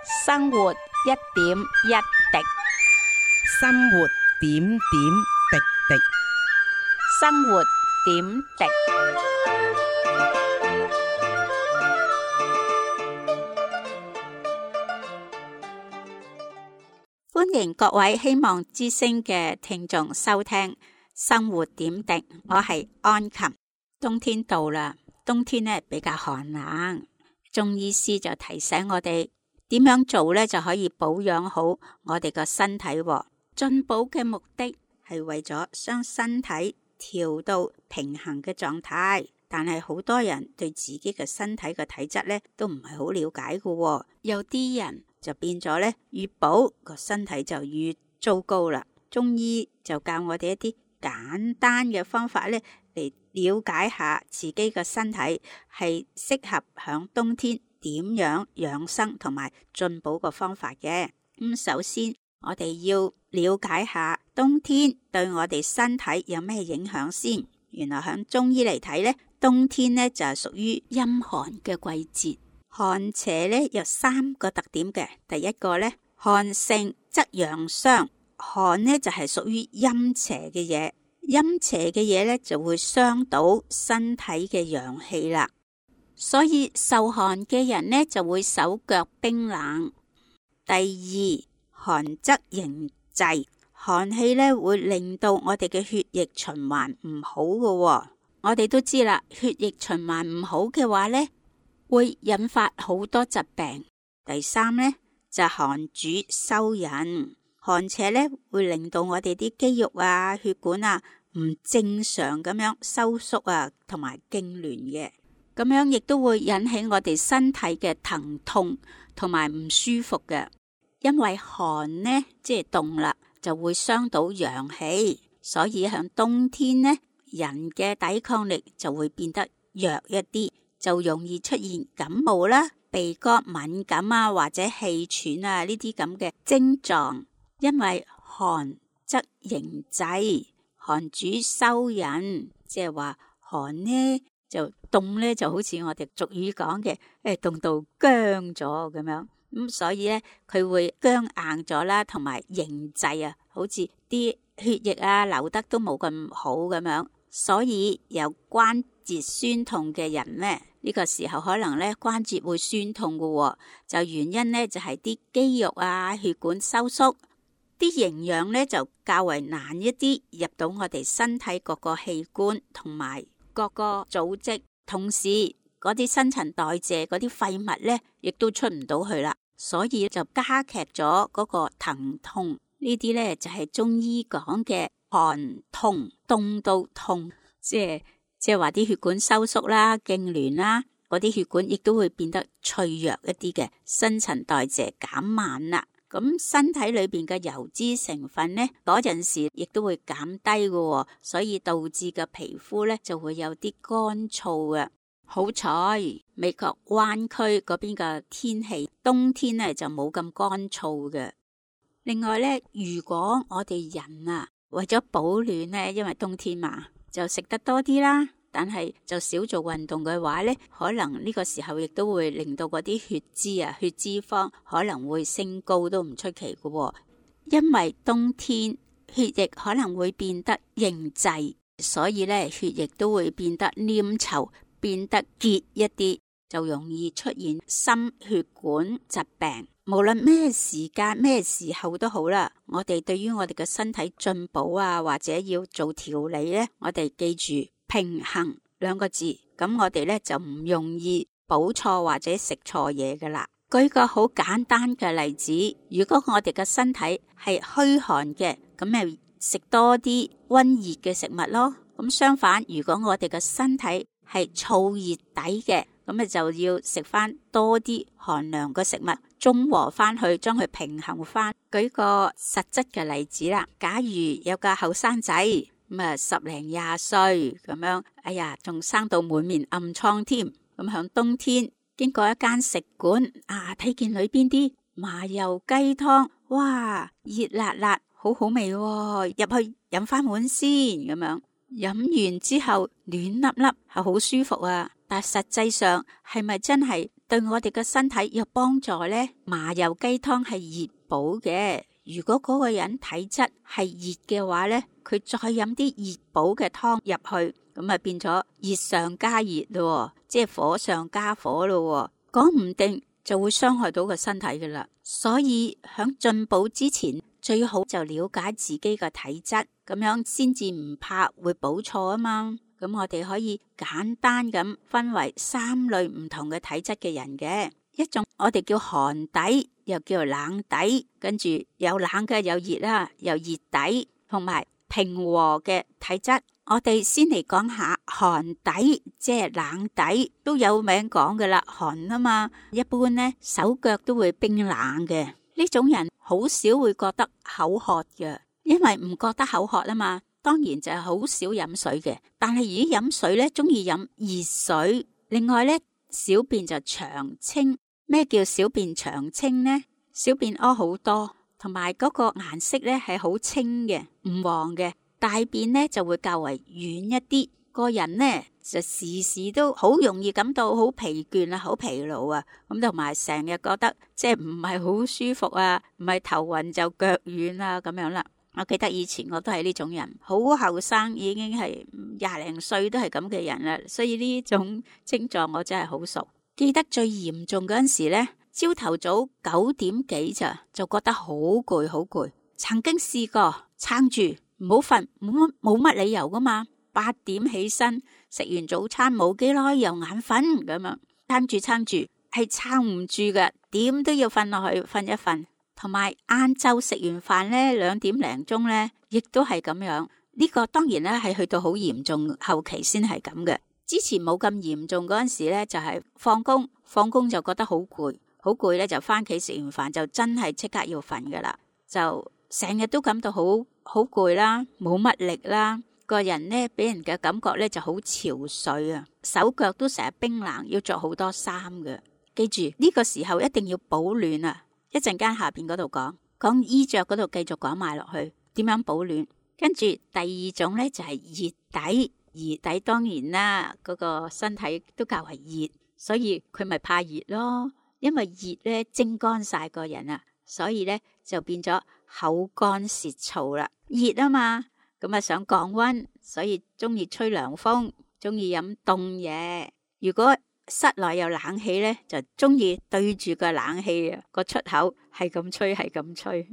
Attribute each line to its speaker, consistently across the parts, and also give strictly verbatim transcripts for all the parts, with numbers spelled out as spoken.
Speaker 1: 生活一點一滴，
Speaker 2: 生活點點滴滴，
Speaker 1: 生活點滴。歡迎各位希望之聲嘅聽眾收聽生活點滴，我係安琴。冬天到啦，冬天呢比較寒冷，中醫師就提醒我哋點樣做呢就可以保養好我哋個身體。進補嘅目的係為咗將身體調到平衡嘅狀態，但係好多人對自己嘅身體嘅體質呢都唔係好了解嘅，有啲人就變咗呢越補個身體就越糟糕啦。中醫就教我哋一啲簡單嘅方法呢嚟了解下自己嘅身體係適合響冬天點樣養生同埋進補個方法嘅。咁首先我哋要了解下冬天對我哋身體有咩影響先。原來響中醫嚟睇呢，冬天呢就係屬於陰寒嘅季節。寒邪呢有三個特點嘅。第一個呢，寒盛則陽傷，寒呢就係屬於陰邪嘅嘢，陰邪嘅嘢呢就會傷到身體嘅陽氣啦。所以受寒嘅人呢就會手腳冰冷。第二，寒則凝滯，寒氣呢會令到我哋嘅血液循環唔好嘅。我哋都知啦，血液循環唔好嘅話呢，會引發好多疾病。第三呢，就寒主收引，寒邪呢會令到我哋啲肌肉啊、血管啊唔正常咁樣收縮啊，同埋痙攣嘅。咁樣亦都會引起我哋身體嘅疼痛同埋唔舒服嘅。因為寒呢即係凍啦，就會傷到陽氣，所以響冬天呢，人嘅抵抗力就會變得弱一啲，就容易出現感冒啦、鼻哥敏感啊或者氣喘啊呢啲咁嘅症狀。因為寒則凝滯，寒主收引，即係話寒呢就凍呢就好似我哋俗語講嘅，誒凍到僵咗咁樣。咁所以咧，佢會僵硬咗啦，同埋凝滯啊，好似啲血液啊流得都冇咁好咁樣。所以有關節酸痛嘅人咧，呢個時候可能咧關節會酸痛嘅，就原因咧就係啲肌肉啊血管收縮，啲營養咧就較為難一啲入到我哋身體各個器官同埋各個組織，同時嗰啲新陳代謝嗰啲廢物咧亦都出唔到去啦。所以就加劇咗嗰個疼痛，呢啲呢就係中醫講嘅寒痛，凍到痛，即係即係話啲血管收縮啦、痙攣啦，嗰啲血管亦都會變得脆弱一啲嘅，新陳代謝減慢啦。咁身體裏邊嘅油脂成分呢，嗰陣時亦都會減低嘅，所以導致嘅皮膚呢就會有啲乾燥嘅。好彩美國灣區嗰邊嘅天氣冬天呢就冇咁乾燥嘅。另外呢，如果我哋人啊為咗保暖呢，因為冬天嘛，就食得多啲啦，但係就少做運動嘅話呢，可能呢個時候亦都會令到嗰啲血脂啊、血脂肪可能會升高都唔出奇嘅。因為冬天血液可能會變得凝滯，所以呢血液都會變得黏稠，變得結一啲，就容易出現心血管疾病。無論咩時間咩時候都好啦，我哋對於我哋嘅身體進補啊，或者要做調理呢，我哋記住平衡兩個字，咁我哋呢就唔容易補錯或者食錯嘢噶啦。舉個好簡單嘅例子，如果我哋嘅身體係虛寒嘅，咁咪食多啲溫熱嘅食物咯。咁相反，如果我哋嘅身體係燥熱底嘅，咁咪就要食翻多啲寒涼嘅食物，中和翻去，將佢平衡翻。舉個實質嘅例子啦，假如有個後生仔咁啊，十零廿歲咁樣，哎呀，仲生到滿面暗瘡添。咁響冬天經過一間食館啊，睇見裏邊啲麻油雞湯，哇，熱辣辣，好好味喎，入去飲翻碗先咁樣。飲完之後暖粒粒係好舒服啊，但實際上係咪真係對我哋嘅身體有幫助呢？麻油雞湯係熱補嘅，如果嗰個人體質係熱嘅話呢，佢再飲啲熱補嘅湯入去，咁啊變咗熱上加熱咯，即係火上加火咯，講唔定就會傷害到個身體噶啦。所以響進補之前，最好就了解自己嘅體質，咁樣先至唔怕會補錯啊嘛。咁我哋可以簡單咁分為三類唔同嘅體質嘅人嘅，一種我哋叫寒底，又叫冷底，跟住有冷嘅有熱啦，有熱底，同埋平和嘅體質。我哋先嚟講下寒底，即係冷底，都有名講嘅啦，寒啊嘛，一般呢手腳都會冰冷嘅。呢種人好少會覺得口渴嘅，因為唔覺得口渴啊嘛。當然就係好少飲水嘅，但係如果飲水咧，中意飲熱水。另外咧，小便就長清。咩叫小便長清呢？小便屙好多，同埋嗰個顏色咧係好清嘅，唔黃嘅。大便咧就會較為軟一啲。個人咧就時時都好容易感到好疲倦啊，好疲勞啊。咁同埋成日覺得即係唔係好舒服啊，唔係頭暈就腳軟啊咁樣啦。我記得以前我都係呢種人，好後生已經係廿零歲都係咁嘅人啦，所以呢種症狀我真係好熟。記得最嚴重嗰陣時呢，朝頭早九點幾咋就覺得好攰好攰，曾經試過撐住唔好瞓，冇乜冇乜理由噶嘛。八點起身食完早餐冇幾耐又眼瞓咁樣，撐住撐住係撐唔住嘅，點都要瞓落去瞓一瞓。同埋晏晝食完飯咧，兩點零鐘咧，亦都係咁樣。呢個當然咧係去到好嚴重後期先係咁嘅。之前冇咁嚴重嗰陣時咧，就係放工，放工就覺得好攰，好攰咧就翻屋企食完飯就真係即刻要瞓噶啦，就成日都感到好好攰啦，冇乜力啦，個人咧俾人嘅感覺咧就好憔悴啊，手腳都成日冰冷，要着好多衫嘅。記住呢個時候一定要保暖啊！一陣間下邊嗰度講講衣着嗰度繼續講埋落去，點樣保暖。跟住第二種咧就係熱底，熱底當然啦，嗰個身體都較為熱，所以佢咪怕熱咯。因為熱咧蒸乾晒個人啊，所以咧就變咗口乾舌燥啦。熱啊嘛，咁啊想降溫，所以中意吹涼風，中意飲凍嘢。如果室內有冷氣咧，就中意對住個冷氣啊，個出口係咁吹係咁吹，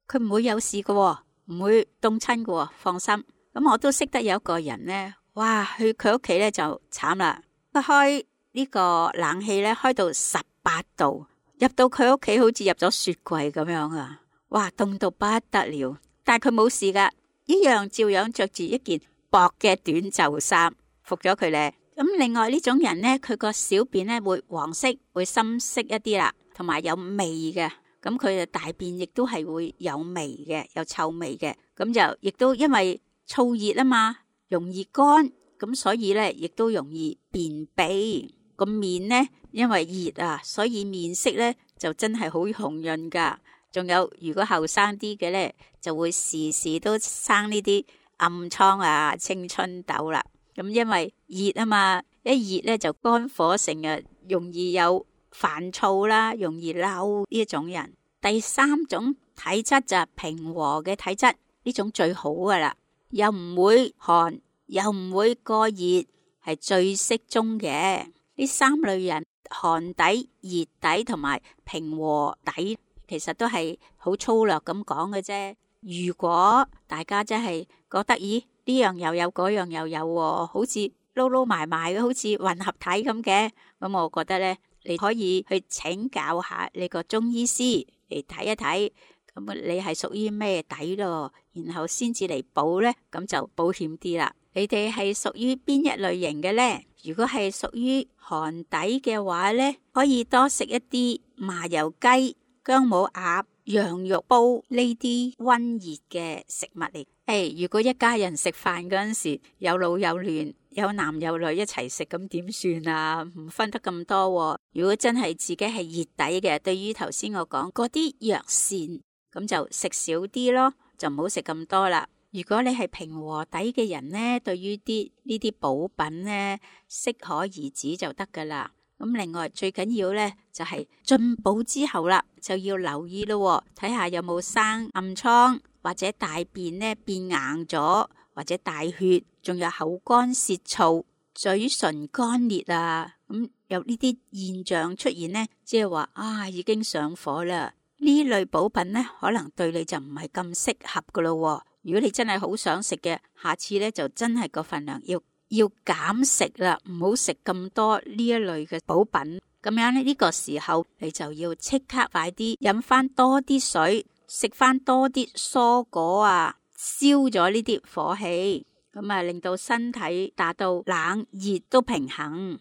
Speaker 1: 佢唔會有事嘅，唔會凍親嘅，放心。咁我都識得有一個人咧，哇，去佢屋企咧就慘啦，佢開呢個冷氣咧開到十八度，入到佢屋企好似入咗雪櫃咁樣啊，哇，凍到不得了。但係佢冇事噶，一樣照樣着住一件薄嘅短袖衫，服咗佢咧。咁另外呢種人呢，佢個小便呢會黃色，會深色一啲啦，同埋有味嘅。咁佢嘅大便亦都係會有味嘅，有臭味嘅。咁就亦都因為燥熱啊嘛，容易乾，咁所以呢亦都容易便秘。個面呢因為熱啊，所以面色呢就真係好紅潤噶。仲有如果後生啲嘅呢，就會時時都生呢啲暗瘡啊、青春痘啦。咁因為熱啊嘛，一熱咧就肝火盛啊，容易有煩躁啦，容易嬲呢一種人。第三種體質就係平和嘅體質，呢種最好噶啦，又唔會寒，又唔會過熱，係最適中嘅。呢三類人，寒底、熱底同埋平和底，其實都係好粗略咁講嘅啫。如果大家真係覺得，咦？呢樣又有，嗰樣又有，好似撈撈埋埋嘅，好似混合體咁嘅。咁我覺得呢，你可以去請教下你個中醫師嚟睇一睇，咁你係屬於咩底咯？然後先至嚟補呢，咁就保險啲啦。你哋係屬於邊一類型嘅呢？如果係屬於寒底嘅話呢，可以多食一啲麻油雞、薑母鴨、羊肉煲呢啲溫熱嘅食物嚟。誒、hey，如果一家人食飯嗰陣時有老有嫩，有男有女一齊食，咁點算啊？唔分得咁多，啊。如果真係自己係熱底嘅，對於頭先我講嗰啲藥膳，咁就食少啲咯，就唔好食咁多啦。如果你係平和底嘅人呢，對於啲呢啲補品呢，適可而止就得噶啦。咁另外最緊要呢，就係進補之後啦，就要留意咯，睇下有冇生暗瘡，或者大便呢變硬咗，或者大血，仲有口乾舌燥、嘴唇乾裂啊，咁有呢啲現象出現呢，即係話啊已經上火啦。呢類補品呢，可能對你就唔係咁適合噶咯。如果你真係好想食嘅，下次呢就真係個份量要要減食啦，唔好食咁多呢一類嘅補品。咁樣呢，呢個時候你就要即刻快啲飲翻多啲水，食翻多啲蔬果啊，消咗呢啲火氣，咁啊令到身體達到冷熱都平衡。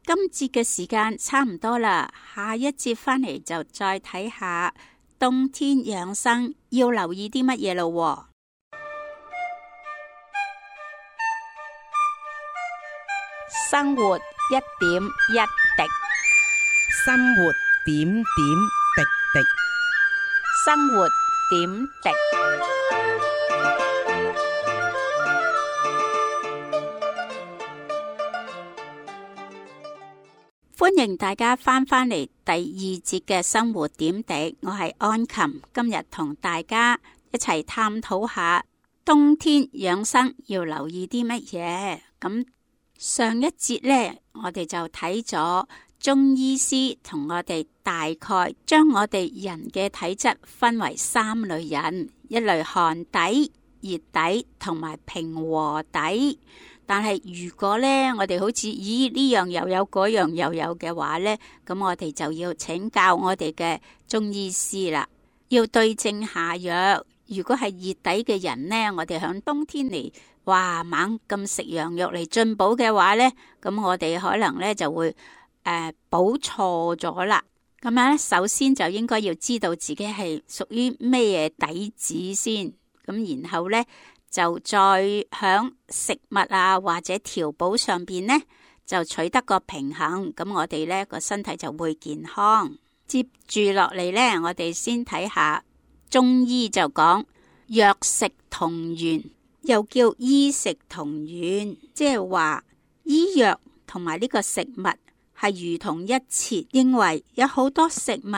Speaker 1: 今節嘅時間差唔多啦，下一節翻嚟就再睇下冬天養生要留意啲乜嘢咯。生活一點一滴，
Speaker 2: 生活點點滴滴，
Speaker 1: 生活點滴。歡迎大家翻返嚟第二節嘅生活點滴，我係安琴，今日同大家一齊探討下冬天養生要留意啲乜嘢。咁上一節呢，我哋就睇咗中醫師同我哋大概將我哋人嘅體質分為三類人，一類寒底、熱底同埋平和底。但係如果咧，我哋好似咦呢樣又有嗰樣又有嘅話咧，咁我哋就要請教我哋嘅中醫師啦，要對症下藥。如果係熱底嘅人咧，我哋響冬天嚟，哇猛咁食羊肉嚟進補嘅話咧，咁我哋可能咧就會誒補錯咗啦。咁樣咧，首先就應該要知道自己係屬於咩底子先，咁然後咧。就再響食物啊或者調補上邊呢，就取得個平衡，咁我哋呢個身體就會健康。接住落嚟呢，我哋先睇下中醫就講藥食同源，又叫醫食同源，即係話醫藥同埋呢個食物係如同一轍，認為有好多食物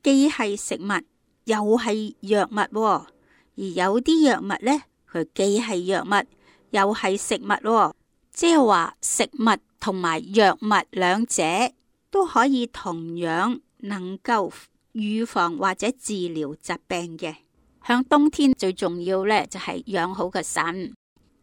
Speaker 1: 既係食物又係藥物，而有啲藥物呢。佢既係藥物又係食物，即係話食物同埋藥物兩者都可以同樣能夠預防或者治療疾病嘅。響冬天最重要呢，就係養好個腎，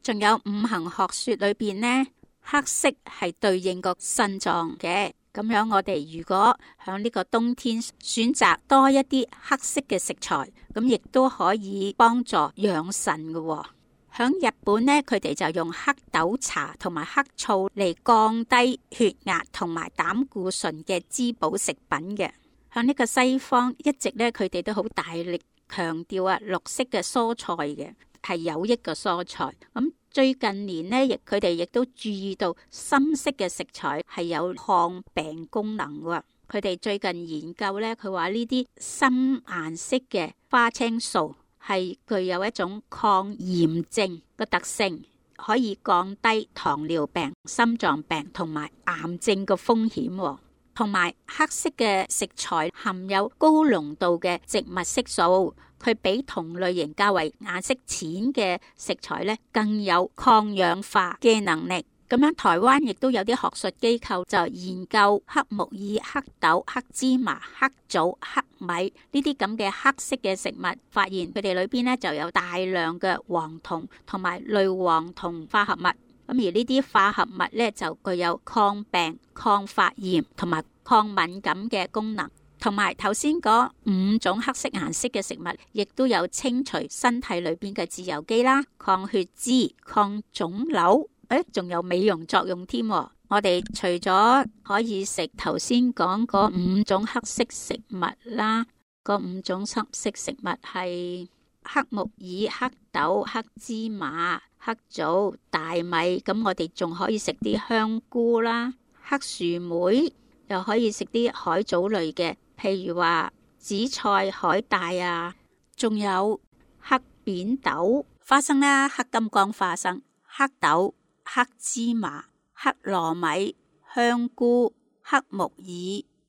Speaker 1: 仲有五行學說裏邊呢，黑色係對應個腎臟嘅。咁樣我哋如果響呢個冬天選擇多一啲黑色嘅食材，咁亦都可以幫助養腎嘅。響日本呢，佢哋就用黑豆茶同埋黑醋嚟降低血壓同埋膽固醇嘅滋補食品嘅。響呢個西方一直呢，佢哋都好大力強調啊綠色嘅蔬菜嘅係有益嘅蔬菜。咁最近年呢，亦佢哋亦都注意到深色嘅食材係有抗病功能喎。佢哋最近研究呢，佢話呢啲深顏色嘅花青素係具有一種抗炎症嘅特性，可以降低糖尿病、心臟病同埋癌症嘅風險。同埋黑色嘅食材含有高濃度嘅植物色素，佢比同類型較為顏色淺嘅食材咧更有抗氧化嘅能力。咁樣台灣亦都有啲學術機構就研究黑木耳、黑豆、黑芝麻、黑棗、黑米呢啲咁嘅黑色嘅食物，發現佢哋裏邊咧就有大量嘅黃酮同埋類黃酮化合物。咁而呢啲化合物咧就具有抗病、抗發炎同埋抗敏感嘅功能，同埋頭先嗰五種黑色顏色嘅食物，亦都有清除身體裏邊嘅自由基啦、抗血脂、抗腫瘤，誒，仲有美容作用添。我哋除咗可以食頭先講嗰五種黑色食物啦，嗰五種黑色食物係黑木耳、黑豆、黑芝麻、黑棗、大米，咁我哋仲可以食啲香菇啦，黑薯梅，又可以食啲海藻類嘅，譬如話紫菜、海帶啊，仲有黑扁豆、花生啦，黑金剛花生、黑豆、黑芝麻、黑糯米、香菇、黑木耳、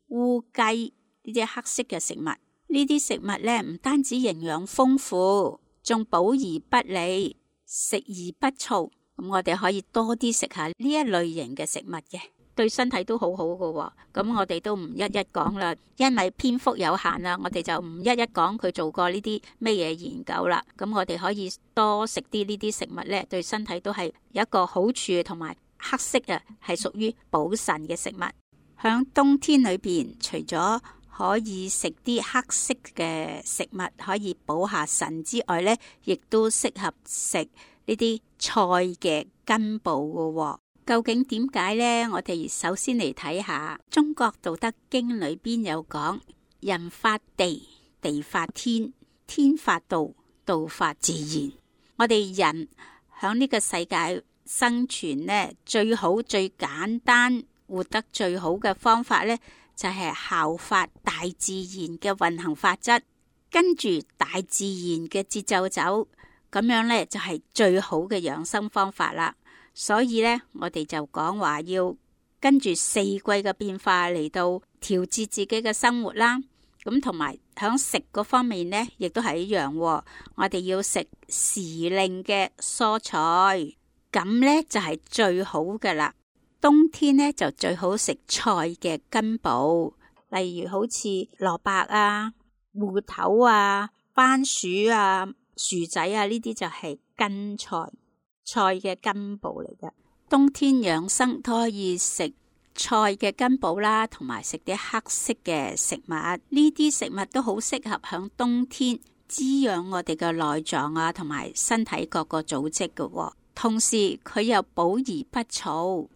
Speaker 1: 烏雞呢啲黑色嘅食物。呢啲食物咧唔單止營養豐富，仲補而不膩，食而不燥。咁我哋可以多啲食下呢一類型嘅食物嘅，對身體都好好㗎。咁我哋都唔一一講啦，因為篇幅有限啦，我哋就唔一一講佢做過呢啲咩嘢研究啦。咁我哋可以多食啲呢啲食物咧，對身體都係有一個好處，同埋黑色啊係屬於補腎嘅食物。響冬天裏邊，除咗可以食啲黑色嘅食物可以補下腎之外呢，亦都適合食呢啲菜嘅根部嘅。究竟點解呢？我哋首先嚟睇下中國道德經裏邊有講：人法地，地法天，天法道，道法自然。我哋人響呢個世界生存呢，最好最簡單活得最好嘅方法呢，就係效法大自然嘅運行法則，跟住大自然嘅節奏走，咁樣呢，就係最好嘅養生方法啦。所以呢，我哋就講話要跟住四季嘅變化嚟到調節自己嘅生活啦。咁同埋響食嗰方面呢，亦都係一樣。我哋要食時令嘅蔬菜，咁呢，就係最好㗎啦。冬天呢，就最好食菜嘅根部，例如好似蘿蔔啊、芋頭啊、番薯啊、薯仔啊，呢啲就係根菜，菜嘅根部嚟嘅。冬天養生都可以食菜嘅根部啦，同埋食啲黑色嘅食物，呢啲食物都好適合響冬天滋養我哋嘅內臟啊，同埋身體各個組織嘅。同時佢又補而不燥，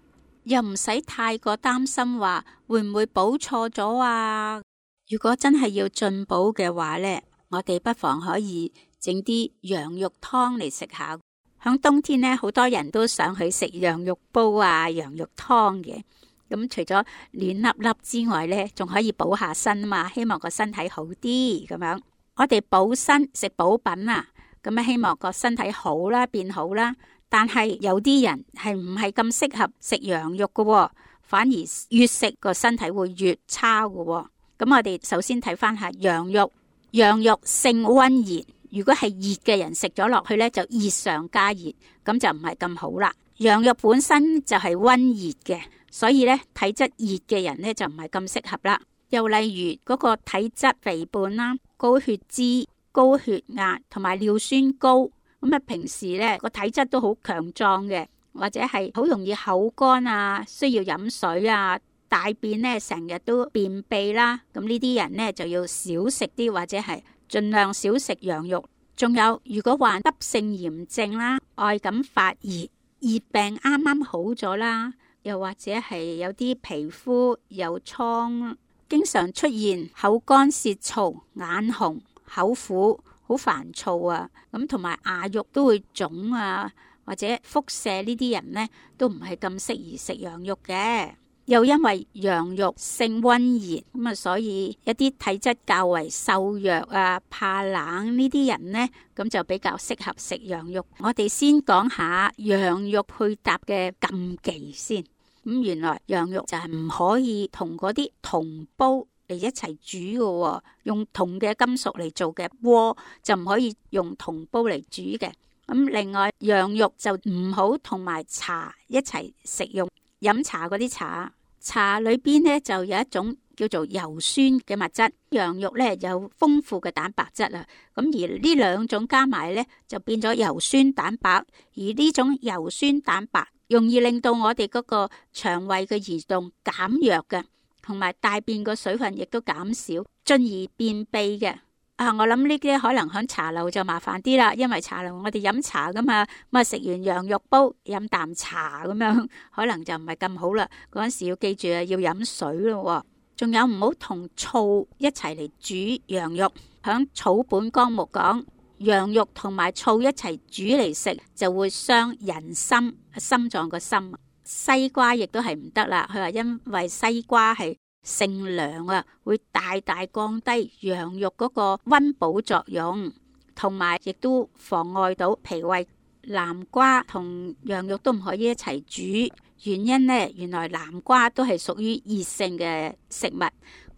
Speaker 1: 又唔使太過擔心話會唔會補錯咗啊。如果真係要進補嘅話呢，我哋不妨可以整啲羊肉湯嚟食下。響冬天呢，好多人都想去食羊肉煲啊、羊肉湯嘅。咁除咗暖粒粒之外呢，仲可以補下身啊嘛，希望個身體好啲咁樣。我哋補身食補品啊，咁啊希望個身體好啦，變好啦。但係有啲人係唔係咁適合食羊肉嘅，反而越食個身體會越差嘅。咁我哋首先睇翻下羊肉，羊肉性溫熱，如果係熱嘅人食咗落去呢，就熱上加熱，咁就唔係咁好啦。羊肉本身就係溫熱嘅，所以呢，體質熱嘅人呢，就唔係咁適合啦。又例如嗰個體質肥胖啦、高血脂、高血壓同埋尿酸高。咁啊，平時咧個體質都好強壯嘅，或者係好容易口乾啊，需要飲水啊，大便咧成日都便秘啦。咁呢啲人咧就要少食啲，或者係盡量少食羊肉。仲有，如果患急性炎症啦，愛感發熱，熱病啱啱好咗啦，又或者係有啲皮膚有瘡，經常出現口乾舌燥、眼紅、口苦。好煩躁啊，咁同埋牙肉都會腫啊，或者腹瀉呢啲人呢，都唔係咁適宜食羊肉嘅。又因為羊肉性溫熱，咁啊，所以一啲體質較為瘦弱啊、怕冷呢啲人呢，咁就比較適合食羊肉。我哋先講下羊肉配搭嘅禁忌先。咁原來羊肉就係唔可以同嗰啲銅煲嚟一齊煮嘅，用銅嘅金屬嚟做嘅鍋就唔可以用銅煲嚟煮嘅。咁另外羊肉就唔好同埋茶一齊食用，飲茶嗰啲茶，茶裏邊呢就有一種叫做油酸嘅物質，羊肉呢有豐富嘅蛋白質啊。咁而呢兩種加埋呢就變咗油酸蛋白，而呢種油酸蛋白容易令到我哋嗰個腸胃嘅移動減弱嘅。同埋大便個水分亦都減少，進而便秘嘅。啊，我諗呢啲可能響茶樓就麻煩啲啦，因為茶樓我哋飲茶噶嘛，咁啊食完羊肉煲飲啖茶咁樣，可能就唔係咁好啦。嗰陣時要記住啊，要飲水咯。仲有唔好同醋一齊嚟煮羊肉。響草本綱目講，羊肉同埋醋一齊煮嚟食就會傷人心，心臟個心。西瓜亦都係唔得啦，佢話因為西瓜係性涼啊，會大大降低羊肉嗰個溫補作用，同埋亦都妨礙到脾胃。南瓜同羊肉都唔可以一齊煮，原因呢，原來南瓜都係屬於熱性嘅食物，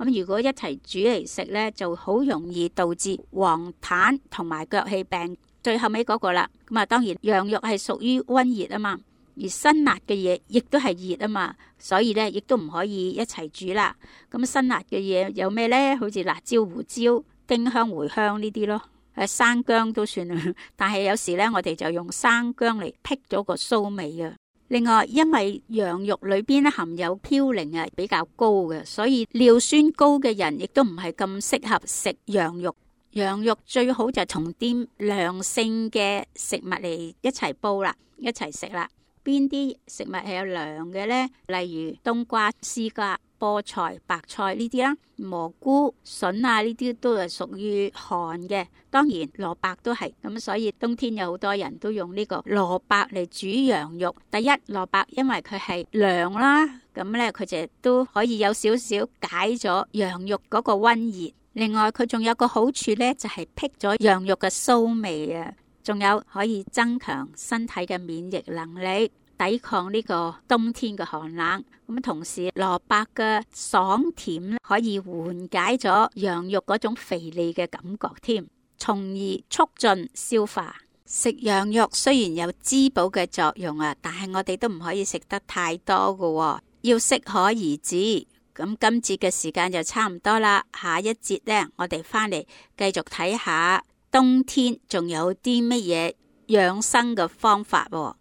Speaker 1: 咁如果一齊煮嚟食呢，就好容易導致黃疸同埋腳氣病。最後尾嗰個啦，咁啊當然羊肉係屬於溫熱啊嘛，而辛辣嘅嘢亦都係熱啊嘛，所以呢亦都唔可以一齊煮啦。咁辛辣嘅嘢有咩呢？好似辣椒、胡椒、丁香、茴香呢啲咯。誒，生薑都算啦，但係有時咧，我哋就用生薑嚟辟咗個臊味啊。另外，因為羊肉裏邊咧含有嘌呤啊，比較高嘅，所以尿酸高嘅人亦都唔係咁適合食羊肉。羊肉最好就同啲涼性嘅食物嚟一齊煲啦，一齊食啦。邊啲食物係有涼嘅呢？例如冬瓜、絲瓜、菠菜、白菜呢啲啦，蘑菇、筍啊呢啲都係屬於寒嘅。當然蘿蔔都係咁，所以冬天有好多人都用呢個蘿蔔嚟煮羊肉。第一，蘿蔔因為佢係涼啦，咁呢，佢就都可以有少少解咗羊肉嗰個溫熱。另外佢仲有個好處呢，就係辟咗羊肉嘅臊味啊，仲有可以增強身體嘅免疫能力，抵抗呢個冬天嘅寒冷。咁同時蘿蔔嘅爽甜可以緩解咗羊肉嗰種肥膩嘅感覺添，從而促進消化。食羊肉雖然有滋補嘅作用啊，但係我哋都唔可以食得太多㗎，要適可而止。咁今節嘅時間就差唔多啦，下一節呢，我哋翻嚟繼續睇下冬天仲有啲乜嘢養生嘅方法喎。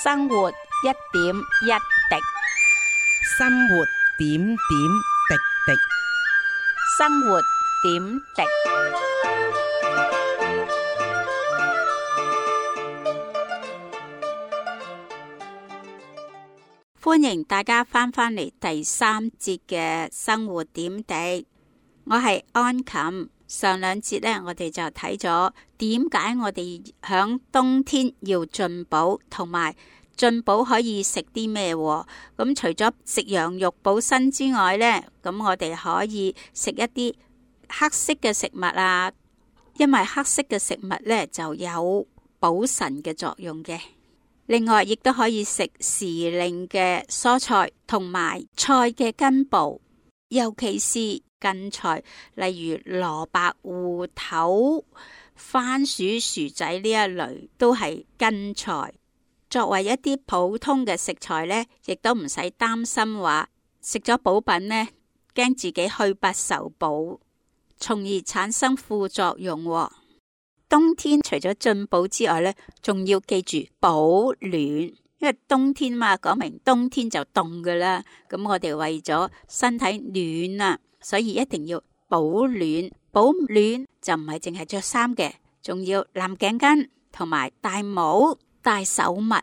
Speaker 1: 生活一點一滴，
Speaker 2: 生活點點滴滴，
Speaker 1: 生活點滴。歡迎大家翻返嚟第三節嘅生活點滴，我係安琴。上兩節呢，我哋就睇咗點解我哋響冬天要進補，同埋進補可以食啲咩？咁除咗食羊肉補身之外呢，咁我哋可以食一啲黑色嘅食物啊，因為黑色嘅食物呢就有補腎嘅作用嘅。另外，亦都可以食時令嘅蔬菜同埋菜嘅根部，尤其是根菜，例如蘿蔔、芋頭、番薯、薯仔呢一類都係根菜。作為一啲普通嘅食材呢，亦都唔使擔心話食咗補品呢，驚自己虛不受補，從而產生副作用喎。冬天除咗進補之外呢，仲要記住保暖，因為冬天嘛，講明冬天就凍噶啦。咁我哋為咗身體暖啊，所以一定要保暖。保暖就唔係淨係着衫嘅，仲要攬頸巾同埋戴帽、戴手襪。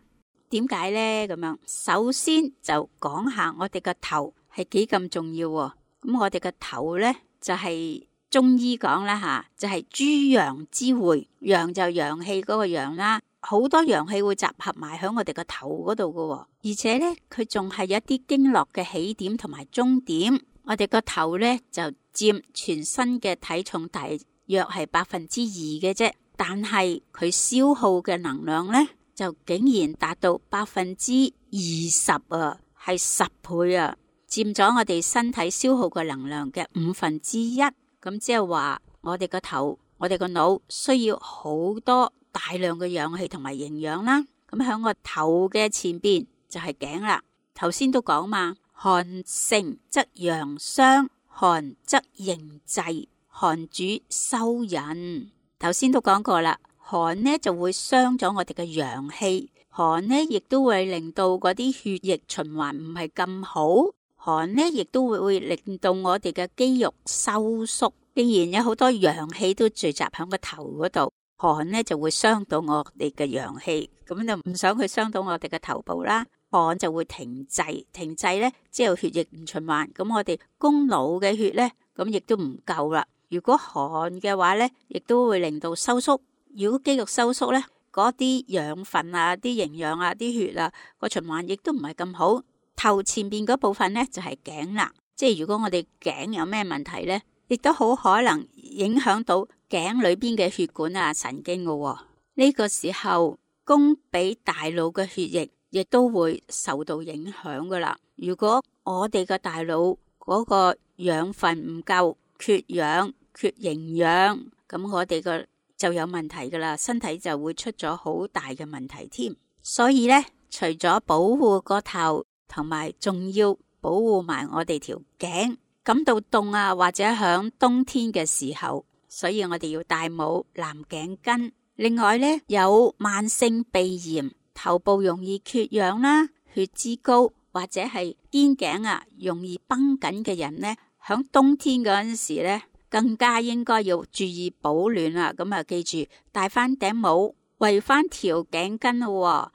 Speaker 1: 點解呢？咁樣，首先就講下我哋個頭係幾咁重要喎。咁我哋個頭呢，就係、是。中醫講啦吓，就係諸陽之會，陽就陽氣嗰個陽啦，好多陽氣會集合埋喺我哋個頭嗰度噶，而且呢，佢仲係有一啲經絡嘅起點同埋終點。我哋個頭呢，就佔全身嘅體重大約係百分之二嘅啫，但係佢消耗嘅能量呢，就竟然達到百分之二十啊，係十倍啊，佔咗我哋身體消耗嘅能量嘅五分之一。咁即係話，我哋個頭、我哋個腦需要好多大量嘅氧氣同埋營養啦。咁喺我頭嘅前邊就係頸啦。頭先都講嘛，寒盛則陽傷，寒則凝滯，寒主收引。頭先都講過啦，寒呢就會傷咗我哋嘅陽氣，寒呢亦都會令到嗰啲血液循環唔係咁好。寒呢，亦都會會令到我哋嘅肌肉收縮。既然有好多陽氣都聚集喺個頭嗰度，寒呢就會傷到我哋嘅陽氣，咁就唔想去傷到我哋嘅頭部啦。寒就會停滯，停滯呢，即係血液唔循環，咁我哋供腦嘅血呢，咁亦都唔夠啦。如果寒嘅話呢，亦都會令到收縮。如果肌肉收縮呢，嗰啲養分啊、啲營養啊、啲血啊個循環亦都唔係咁好。頭前邊嗰部分呢，就係頸啦，即係如果我哋頸有咩問題呢，亦都好可能影響到頸裏邊嘅血管啊、神經噶喎。呢個時候供俾大腦嘅血液亦都會受到影響噶啦。如果我哋嘅大腦嗰個養分唔夠，缺氧、缺營養，咁我哋個就有問題噶啦，身體就會出咗好大嘅問題添。所以呢，除咗保護個頭，同埋仲要保護埋我哋條頸。感到凍啊，或者響冬天嘅時候，所以我哋要戴帽、藍頸巾。另外呢，有慢性鼻炎、頭部容易缺氧啦、血脂高或者係肩頸啊容易繃緊嘅人呢，響冬天嗰陣時呢，更加應該要注意保暖啦。咁啊，記住戴翻頂帽，圍翻條頸巾咯，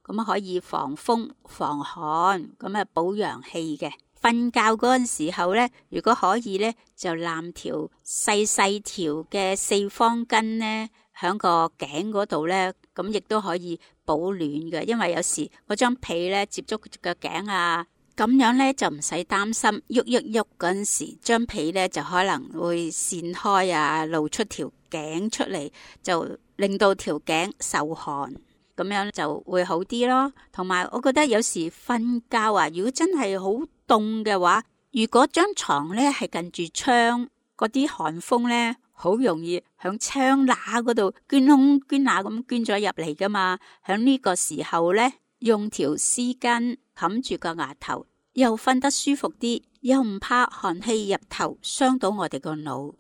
Speaker 1: 咁可以防風防寒，咁啊保陽氣嘅。瞓覺嗰陣時候呢，如果可以呢，就攬條細細條嘅四方巾呢，響個頸嗰度呢，咁亦都可以保暖嘅。因為有時嗰張被呢接觸個頸啊，咁樣呢就唔使擔心喐喐喐嗰陣時，張被呢就可能會散開啊，露出條頸出嚟，就令到條頸受寒。咁樣就會好啲咯。同埋我覺得有時瞓覺啊，如果真係好凍嘅話，如果張床咧係近住窗，嗰啲寒風咧好容易響窗罅嗰度捐窿捐罅咁捐咗入嚟噶嘛。響呢個時候咧，用條絲巾冚住個額頭，又瞓得舒服啲，又唔怕寒氣入頭傷到我哋個腦。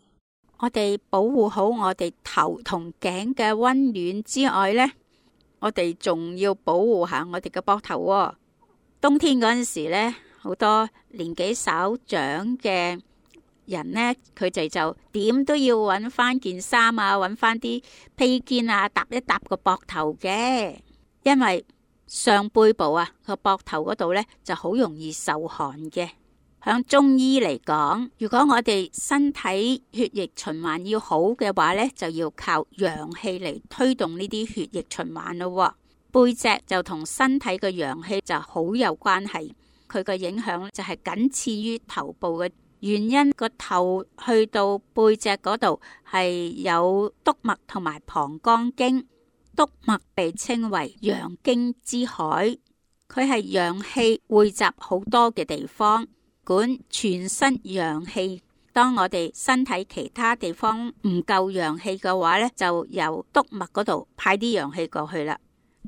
Speaker 1: 我哋保護好我哋頭同頸嘅溫暖之外咧，我哋仲要保護下我哋嘅膊頭喎。冬天嗰陣時咧，好多年紀稍長嘅人呢，佢哋就點都要揾翻件衫啊，揾翻啲披肩啊，搭一搭個膊頭嘅。因為上背部啊個膊頭嗰度呢就好容易受寒嘅。響中醫嚟講，如果我哋身體血液循環要好嘅話呢，就要靠陽氣嚟推動呢啲血液循環咯。背脊就同身體嘅陽氣就好有關係，佢嘅影響就係僅次於頭部嘅原因。個頭去到背脊嗰度係有督脈同埋膀胱經，督脈被稱為陽經之海，佢係陽氣匯集好多嘅地方，管全身陽氣。當我哋身體其他地方唔夠陽氣嘅話呢，就由督脈嗰度派啲陽氣過去啦。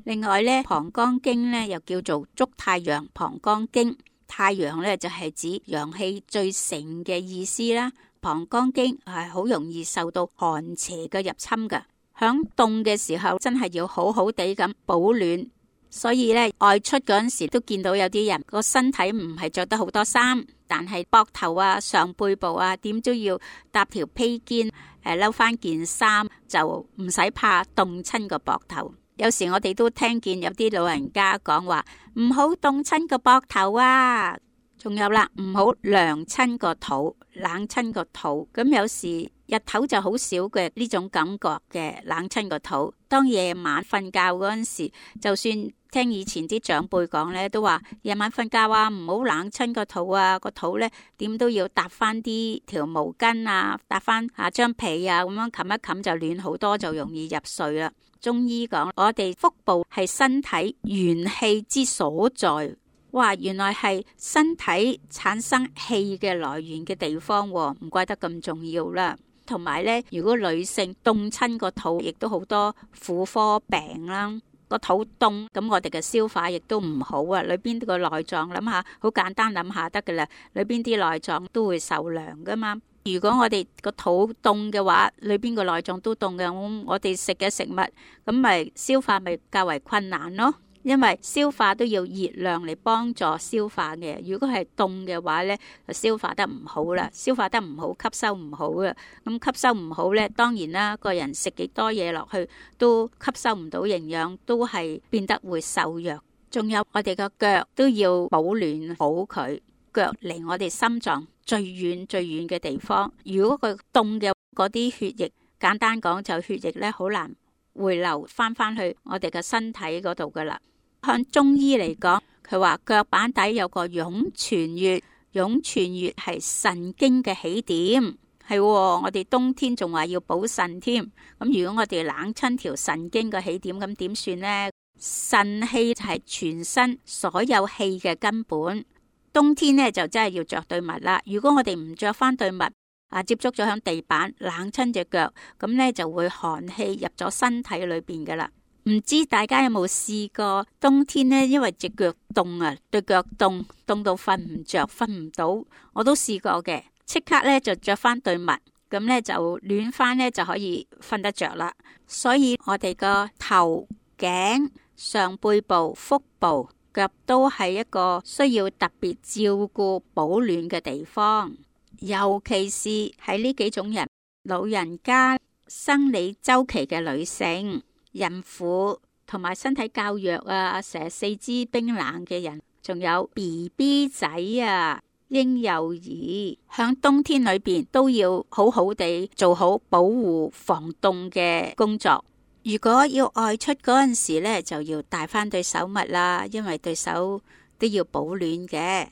Speaker 1: 另外呢，膀胱經呢又叫做足太陽膀胱經，太陽呢就係指陽氣最盛嘅意思啦。膀胱經係好容易受到寒邪嘅入侵噶，響凍嘅時候真係要好好地咁保暖。所以咧，外出嗰陣時都見到有啲人個身體唔係着得好多衫，但係膊頭啊、上背部啊，點都要搭條披肩，誒，褸翻件衫，就唔使怕凍親個膊頭。有時我哋都聽見有啲老人家講話，唔好凍親個膊頭啊，仲有啦，唔好涼親個肚，冷親個肚。咁有時日頭就好少嘅呢種感覺嘅冷親個肚，當夜晚瞓覺嗰陣時，就算聽以前啲長輩講咧，都話夜晚瞓覺啊，唔好冷親個肚啊，個肚咧點都要搭翻啲條毛巾啊，搭翻下張被啊，咁樣冚一冚就暖好多，就容易入睡啦。中醫講，我哋腹部係身體元氣之所在，哇，原來係身體產生氣嘅來源嘅地方，唔怪得咁重要啦。同埋咧，如果女性凍親個肚，亦都好多婦科病啦。個肚凍，咁我哋嘅消化亦都唔好啊。裏邊個內臟諗下，好簡單諗下得噶啦。裏邊啲內臟都會受涼噶嘛。如果我哋個肚凍嘅話，裏邊個內臟都凍嘅，我我哋食嘅食物咁咪消化咪較為困難咯。因為消化都要熱量嚟幫助消化嘅，如果係凍嘅話呢，就消化得唔好啦，消化得唔好，吸收唔好啦。咁吸收唔好呢，當然啦，個人食幾多嘢落去都吸收唔到營養，都係變得會瘦弱。仲有我哋個腳都要保暖好佢，腳離我哋心臟最遠最遠嘅地方。如果佢凍嘅嗰啲血液，簡單講就血液呢，好難回流翻翻去我哋嘅身體嗰度噶啦。向中醫嚟講，佢話腳板底有個湧泉穴，湧泉穴係神經嘅起點，係係喎，我哋冬天仲話要補腎添。咁如果我哋冷親條腎經嘅起點，咁點算呢？腎氣就係全身所有氣嘅根本。冬天呢，就真係要着對襪啦。如果我哋唔着翻對襪，啊接觸咗響地板冷親隻腳，咁呢就會寒氣入咗身體裏邊噶啦。唔知大家有冇試過冬天呢？因為隻腳凍啊，對腳凍凍到瞓唔着，瞓唔到，我都試過嘅。即刻呢就着翻對襪，咁呢就暖翻呢就可以瞓得着啦。所以我哋個頭、頸、上背部、腹部、腳都係一個需要特別照顧保暖嘅地方，尤其是喺呢幾種人：老人家、生理週期嘅女性、孕婦同埋身體較弱啊，成日四肢冰冷嘅人，仲有 B B 仔啊、嬰幼兒，響冬天裏邊都要好好地做好保護防凍嘅工作。如果要外出嗰陣時呢，就要帶翻對手襪啦，因為對手都要保暖嘅。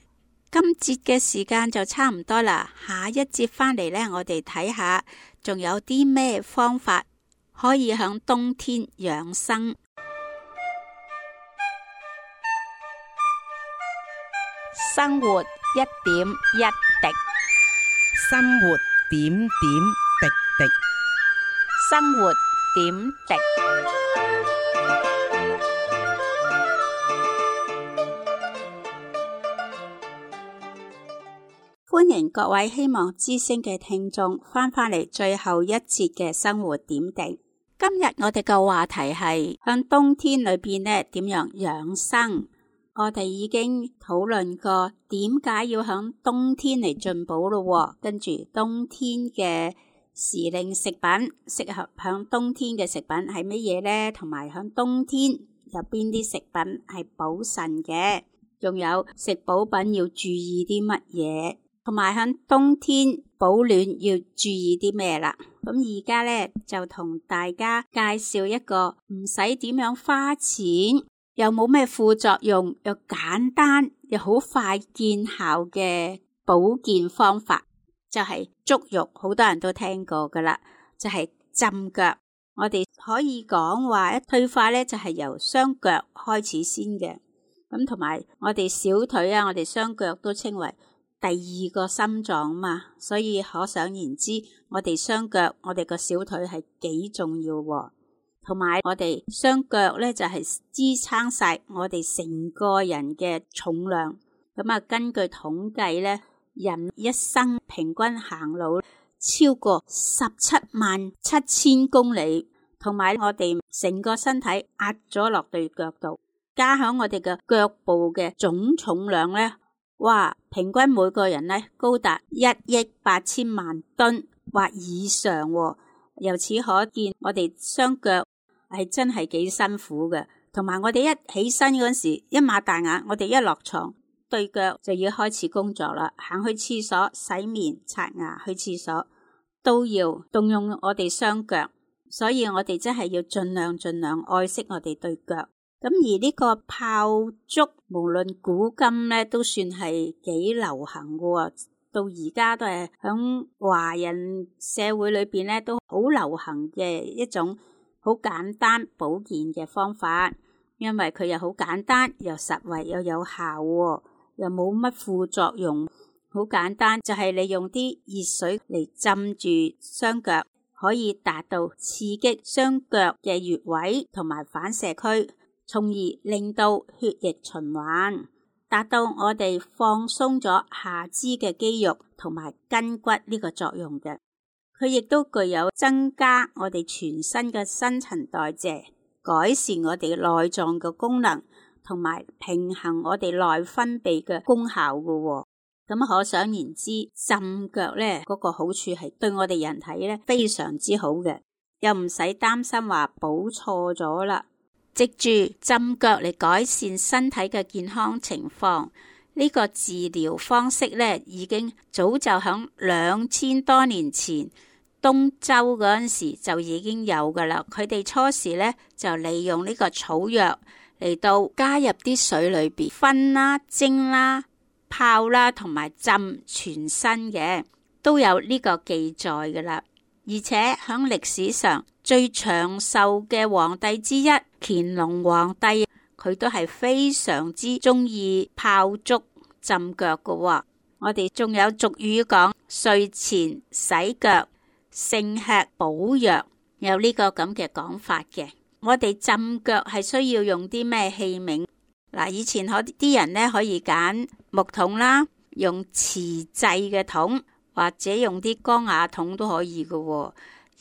Speaker 1: 今節嘅時間就差唔多啦，下一節翻嚟呢，我哋睇下仲有啲咩方法可以響冬天養生。生活一點一滴，
Speaker 2: 生活點點滴滴，
Speaker 1: 生活點滴。歡迎各位希望之聲嘅聽眾翻返嚟最後一節嘅生活點滴。今日我哋嘅話題係向冬天裏邊呢點樣養生。我哋已經討論過點解要響冬天嚟進補咯，跟住冬天嘅時令食品，適合響冬天嘅食品係乜嘢呢？同埋響冬天有邊啲食品係補腎嘅？仲有食補品要注意啲乜嘢？同埋響冬天保暖要注意啲咩啦？咁而家呢，就同大家介紹一個唔使點樣花錢，又冇咩副作用，又簡單又好快見效嘅保健方法，就係足浴，好多人都聽過噶啦，就係浸腳。我哋可以講話一退化呢，就係由雙腳開始先嘅。咁同埋我哋小腿啊，我哋雙腳都稱為第二個心臟嘛，所以可想而知，我哋雙腳，我哋個小腿係幾重要喎。同埋我哋雙腳咧就係支撐晒我哋成個人嘅重量。咁啊，根據統計咧，人一生平均行路超過十七萬七千公里，同埋我哋成個身體壓咗落對腳度，加響我哋嘅腳部嘅總重量咧，哇，平均每個人咧高達一億八千萬噸或以上喎。由此可見，我哋雙腳係真係幾辛苦嘅。同埋我哋一起身嗰時，一擘大眼，我哋一落床，對腳就要開始工作啦。行去廁所、洗面、刷牙、去廁所，都要動用我哋雙腳。所以我哋真係要盡量盡量愛惜我哋對腳。咁而呢個泡足，無論古今咧，都算係幾流行嘅。到而家都係響華人社會裏邊咧，都好流行嘅一種好簡單保健嘅方法。因為佢又好簡單，又實惠，又有效，又冇乜副作用。好簡單，就係你用啲熱水嚟浸住雙腳，可以達到刺激雙腳嘅穴位同埋反射區，從而令到血液循環，達到我哋放鬆咗下肢嘅肌肉同埋筋骨呢個作用嘅。佢亦都具有增加我哋全身嘅新陳代謝，改善我哋內臟嘅功能，同埋平衡我哋內分泌嘅功效嘅。咁可想而知，浸腳咧嗰個好處係對我哋人體咧非常之好嘅，又唔使擔心話補錯咗啦。藉住浸腳嚟改善身體嘅健康情況，呢個治療方式咧已經早就響兩千多年前東周嗰陣時就已經有噶啦。佢哋初時咧就利用呢個草藥嚟到加入啲水裏邊，熏啦、蒸啦、泡啦同埋浸全身嘅。都有呢個記載噶啦。而且喺歷史上最長壽嘅皇帝之一乾隆皇帝，佢都係非常之中意泡足浸腳噶喎。我哋仲有俗語講睡前洗腳勝吃補藥，有呢個咁嘅講法嘅。我哋浸腳係需要用啲咩器皿？嗱，以前可啲人咧可以揀木桶啦，用瓷製嘅桶，或者用啲缸瓦桶都可以嘅喎。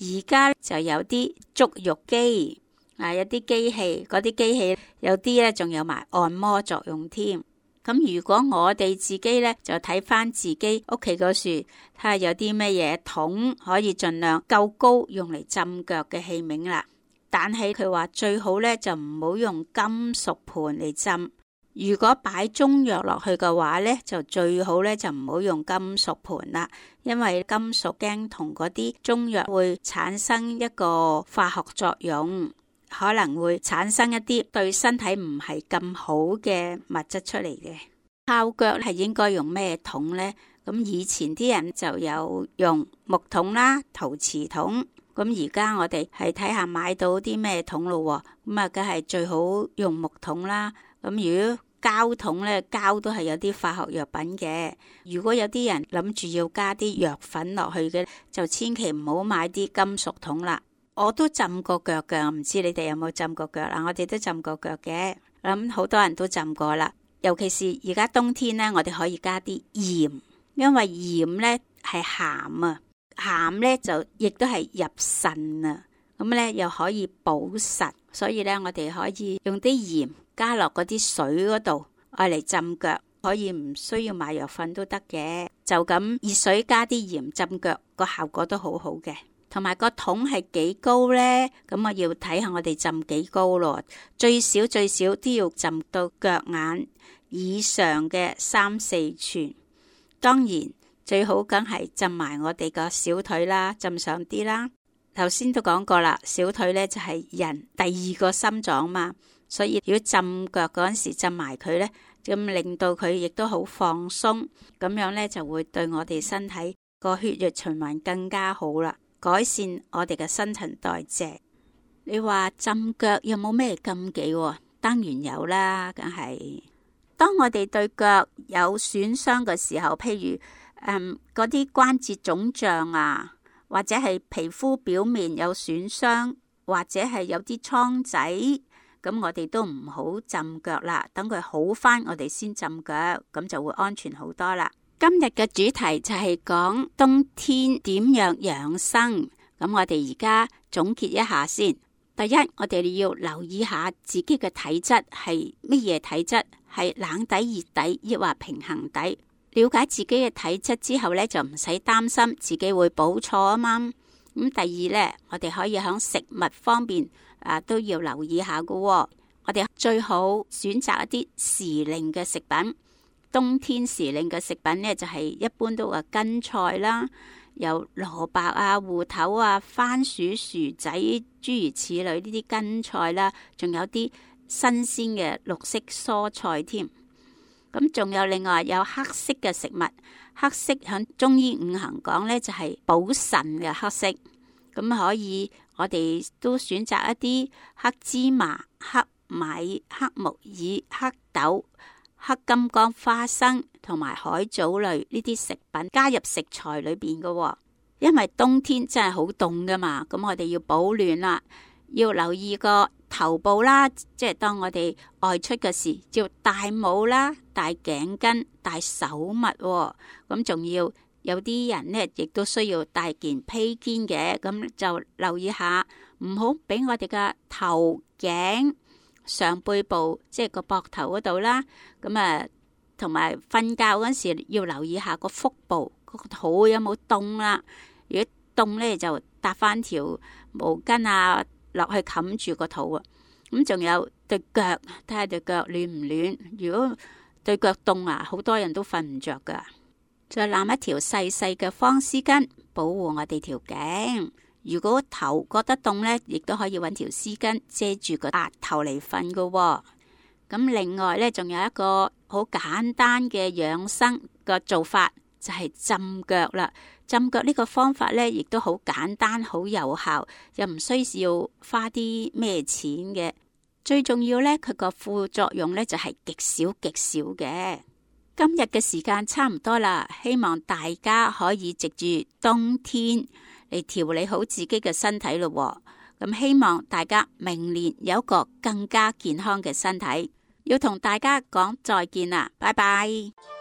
Speaker 1: 而家就有啲足浴機，啊有啲機器，嗰啲機器有啲咧仲有埋按摩作用添。咁如果我哋自己咧就睇翻自己屋企嗰樹，睇下有啲咩嘢桶可以盡量夠高用嚟浸腳嘅器皿啦。但係佢話最好咧就唔好用金屬盤嚟浸。如果擺中藥落去嘅話咧，就最好咧就唔好用金屬盤啦，因為金屬驚同嗰啲中藥會產生一個化學作用，可能會產生一啲對身體唔係咁好嘅物質出嚟嘅。泡腳係應該用咩桶呢？咁以前啲人就有用木桶啦、陶瓷桶。咁而家我哋係睇下買到啲咩桶咯，咁啊梗係最好用木桶啦。咁如果膠桶咧，膠都係有啲化學藥品嘅。如果有啲人諗住要加啲藥粉落去嘅，就千祈唔好買啲金屬桶啦。我都浸過腳嘅，唔知你哋有冇浸過腳啦？我哋都浸過腳嘅，諗好多人都浸過啦。尤其是而家冬天咧，我哋可以加啲鹽，因為鹽咧係鹹啊。鹹咧就亦都係入腎啊，咁咧又可以補腎，所以咧我哋可以用啲鹽加落嗰啲水嗰度，愛嚟浸腳，可以唔需要買藥粉都得嘅，就咁熱水加啲鹽浸腳，個效果都好好嘅。同埋個桶係幾高咧？咁我要睇下我哋浸幾高咯，最少最少都要浸到腳眼以上嘅三四寸，當然。最好梗係浸埋我哋個小腿啦，浸上啲啦。頭先都講過啦，小腿咧就係人第二個心臟嘛，所以如果浸腳嗰陣時浸埋佢咧，咁令到佢亦都好放鬆，咁樣咧就會對我哋身體個血液循環更加好啦，改善我哋嘅新陳代謝。你話浸腳有冇咩禁忌？當然有啦，梗係。當我哋對腳有損傷嘅時候，譬如誒嗰啲關節腫脹啊，或者係皮膚表面有損傷，或者係有啲瘡仔，咁我哋都唔好浸腳啦，等佢好返，我哋先浸腳，咁就會安全好多啦。今日嘅主題就係講冬天點樣養生，咁我哋而家總結一下先。第一，我哋要留意下自己嘅體質係乜嘢體質，係冷底、熱底，抑或平衡底。了解自己嘅體質之後咧，就唔使擔心自己會補錯啊嘛。咁第二咧，我哋可以喺食物方面啊都要留意下噶、哦。我哋最好選擇一啲時令嘅食品。冬天時令嘅食品咧，就係、是、一般都話根菜啦。有蘿蔔啊、芋頭啊、番薯、薯仔，諸如此類呢啲根菜啦，仲有啲新鮮嘅綠色蔬菜添。咁仲有另外有黑色嘅食物，黑色響中醫五行講呢，就係補腎嘅黑色。咁可以我哋都選擇一啲黑芝麻、黑米、黑木耳、黑豆、黑金剛、花生同埋海藻類呢啲食品加入食材裏邊嘅，因為冬天真係好凍噶嘛，咁我哋要保暖啦，要留意個頭部啦，即係當我哋外出嘅時要戴帽啦、戴頸巾、戴手襪，咁仲要有啲人呢亦都需要戴件披肩嘅，咁就留意下，唔好俾我哋嘅頭頸。上背部即係個膊頭嗰度啦，咁啊，同埋瞓覺嗰時要留意下個腹部，個肚有冇凍啦。如果凍咧，就搭翻條毛巾啊落去冚住個肚啊。咁仲有對腳，睇下對腳暖唔暖。如果對腳凍啊，好多人都瞓唔着噶。再攬一條細細嘅方絲巾保護我哋條頸。如果頭覺得凍呢，亦都可以揾條絲巾遮住個額頭嚟瞓噶。咁另外呢，仲有一個好簡單嘅養生嘅做法，就係浸腳啦。浸腳呢個方法呢，亦都好簡單、好有效，又唔需要花啲咩錢嘅。最重要呢，佢個副作用呢就係極少極少嘅。今日嘅時間差唔多啦，希望大家可以藉住冬天嚟調理好自己嘅身體咯。咁希望大家明年有一個更加健康嘅身體。要同大家講再見啦，拜拜。